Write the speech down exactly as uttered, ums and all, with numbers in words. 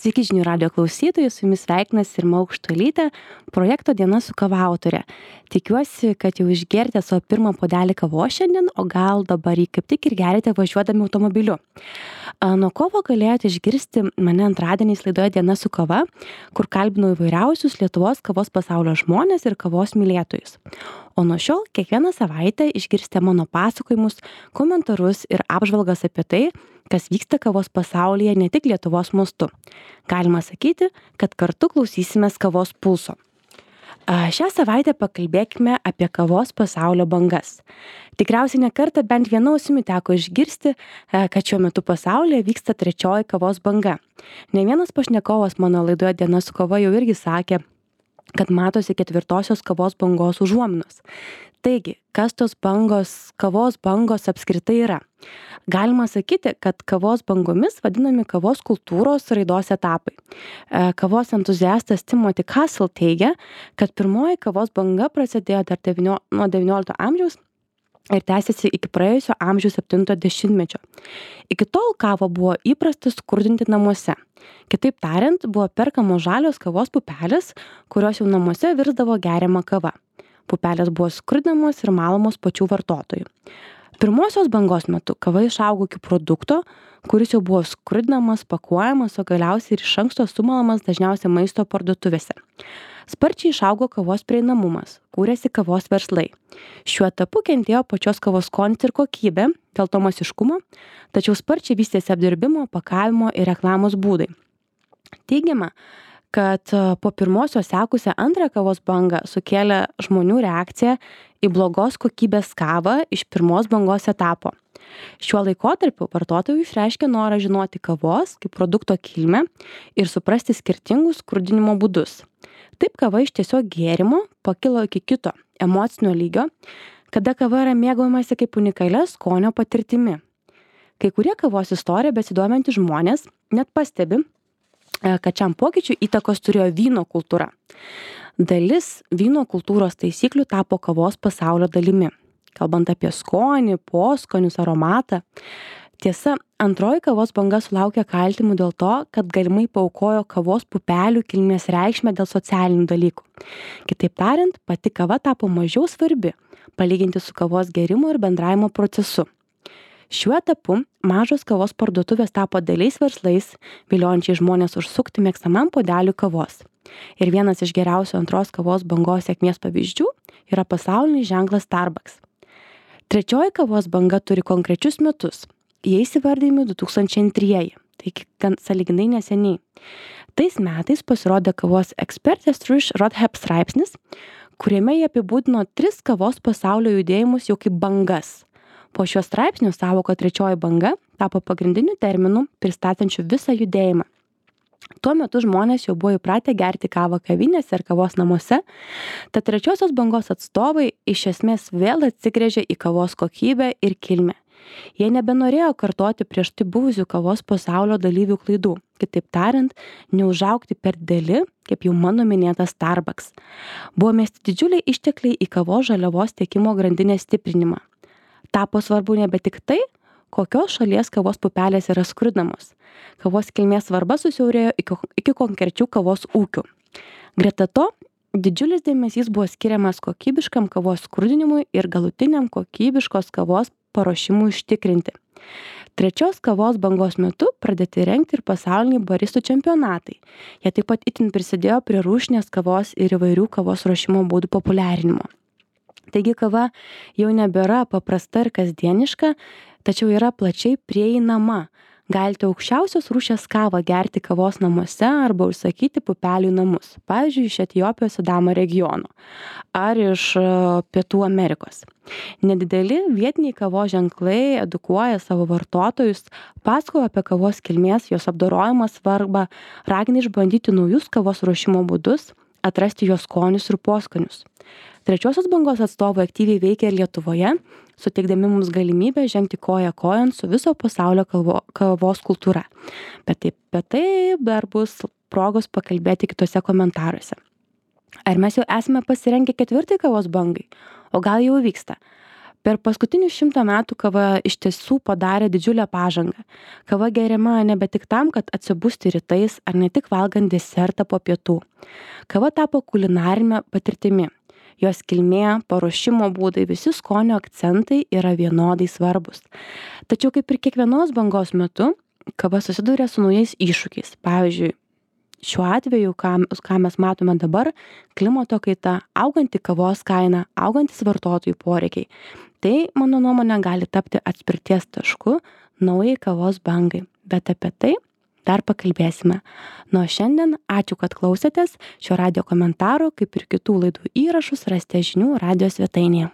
Sveiki žinių radijo klausytojai, su jumis sveikinasi Irma Aukštuolytė, projekto Diena su kava autorė. Tikiuosi, kad jau išgerite savo pirmą puodelį kavos šiandien, o gal dabar jį kaip tik ir gerite važiuodami automobiliu. Nuo kovo galėjote išgirsti mane antradieniais laidoje Diena su kava, kur kalbinau įvairiausius Lietuvos kavos pasaulio žmonės ir kavos mylėtojus. O nuo šiol kiekvieną savaitę išgirsite mano pasakojimus, komentarus ir apžvalgas apie tai, kas vyksta kavos pasaulyje ne tik Lietuvos mastu. Galima sakyti, kad kartu klausysimės kavos pulso. Šią savaitę pakalbėkime apie kavos pasaulio bangas. Tikriausiai ne kartą bent viena ausimi teko išgirsti, kad šiuo metu pasaulyje vyksta trečioji kavos banga. Ne vienas pašnekovas mano laidoje Diena su kava jau irgi sakė, kad matosi ketvirtosios kavos bangos užuominos. Taigi, kas tos bangos, kavos bangos apskritai yra? Galima sakyti, kad kavos bangomis vadinami kavos kultūros raidos etapai. Kavos entuziastas Timothy Castle teigia, kad pirmoji kavos banga prasidėjo dar devynio, nuo devyniolikto amžiaus ir tęsiasi iki praėjusio amžiaus septintojo dešimtmečio. Iki tol kavą buvo įprasta skurdinti namuose. Kitaip tariant, buvo perkamos žalios kavos pupelės, kurios jau namuose virsdavo geriama kava. Pupelės buvo skurdinamos ir malamos pačių vartotojų. Pirmosios bangos metu kava išaugo iki produkto, kuris jau buvo skurdinamas, pakuojamas, o galiausiai ir iš anksto sumalamas dažniausiai maisto parduotuvėse. Sparčiai išaugo kavos prieinamumas, kūrėsi kavos verslai. Šiuo etapu kentėjo pačios kavos skonis ir kokybė, dėl to masiškumo, tačiau sparčiai vystėsi apdirbimo, pakavimo ir reklamos būdai. Teigiama, kad po pirmosios sekusią antrą kavos bangą sukėlė žmonių reakciją į blogos kokybės kavą iš pirmos bangos etapo. Šiuo laikotarpiu vartotojai išreiškė norą žinoti kavos kaip produkto kilmę ir suprasti skirtingus skurdinimo būdus. Taip kava iš tiesiog gėrimo pakilo iki kito emocinio lygio, kada kava yra mėgaujamasi kaip unikalia skonio patirtimi. Kai kurie kavos istoriją besidomintys žmonės net pastebi, kad šiam pokyčiui įtakos turėjo vyno kultūra. Dalis vyno kultūros taisyklių tapo kavos pasaulio dalimi, kalbant apie skonį, poskonius, aromatą. Tiesa, antroji kavos banga sulaukė kaltimų dėl to, kad galimai paaukojo kavos pupelių kilmės reikšmę dėl socialinių dalykų. Kitaip tariant, pati kava tapo mažiau svarbi, palyginti su kavos gėrimo ir bendravimo procesu. Šiuo etapu mažos kavos parduotuvės tapo dėliais verslais, viliojančiai žmonės užsukti mėgstamam puodeliui kavos. Ir vienas iš geriausių antros kavos bangos sėkmės pavyzdžių yra pasaulinis ženklas Starbucks. Trečioji kavos banga turi konkrečius metus. Jie įsivardijami du tūkstančiai antrieji, tai gan sąlyginai neseniai. Tais metais pasirodė kavos ekspertės Trish Rothep straipsnis, kuriame jie apibūdino tris kavos pasaulio judėjimus jau kaip bangas. Po šio straipsnio sąvoka trečioji banga tapo pagrindiniu terminu pristatančiu visą judėjimą. Tuo metu žmonės jau buvo įpratę gerti kavą kavinėse ir kavos namuose, tad trečiosios bangos atstovai iš esmės vėl atsigręžė į kavos kokybę ir kilmę. Jie nebenorėjo kartoti prieš tai buvusių kavos pasaulio dalyvių klaidų, kitaip tariant, neužaugti per dideli, kaip jau mano minėtas Starbucks. Buvo mesti didžiuliai ištekliai į kavos žaliavos tiekimo grandinės stiprinimą. Tapo svarbu nebe tik tai, kokios šalies kavos pupelės yra skurdinamos. Kavos kilmės svarba susiaurėjo iki, iki konkrečių kavos ūkių. Greta to, didžiulis dėmesys buvo skiriamas kokybiškam kavos skurdinimui ir galutiniam kokybiškos kavos paruošimui užtikrinti. Trečios kavos bangos metu pradėti rengti ir pasauliniai baristų čempionatai. Jie taip pat itin prisidėjo prie rūšinės kavos ir įvairių kavos ruošimo būdų populiarinimo. Taigi kava jau nebėra paprasta ir kasdieniška, tačiau yra plačiai prieinama. Galite aukščiausios rūšies kavą gerti kavos namuose arba užsakyti pupelių namus, pavyzdžiui, iš Etiopijos Sidamo regiono ar iš Pietų Amerikos. Nedideli vietiniai kavos ženklai edukuoja savo vartotojus, pasakoja apie kavos kilmės, jos apdorojimo svarbą, ragina išbandyti naujus kavos ruošimo būdus, atrasti jos skonius ir poskonius. Trečiosios bangos atstovai aktyviai veikia ir Lietuvoje, suteikdami mums galimybę žengti koją kojon su viso pasaulio kalvo, kavos kultūra. Bet taip, bet tai dar bus progos pakalbėti kitose komentaruose. Ar mes jau esame pasirengę ketvirtai kavos bangai? O gal jau vyksta? Per paskutinius šimtą metų kava iš tiesų padarė didžiulę pažangą. Kava geriama nebe tik tam, kad atsibusti rytais ar ne tik valgant desertą po pietų. Kava tapo kulinarinė patirtimi. Jos kilmė, paruošimo būdai, visi skonio akcentai yra vienodai svarbus. Tačiau kaip ir kiekvienos bangos metu, kava susiduria su naujais iššūkiais. Pavyzdžiui, šiuo atveju, ką, ką mes matome dabar, klimato kaita, auganti kavos kaina, augantis vartotojų poreikiai. Tai, mano nuomonė, gali tapti atspirties tašku naujai kavos bangai. Bet apie tai dar pakalbėsime. Nuo šiandien ačiū, kad klausėtės. Šio radijo komentaro, kaip ir kitų laidų įrašus, rasite žinių radijo svetainėje.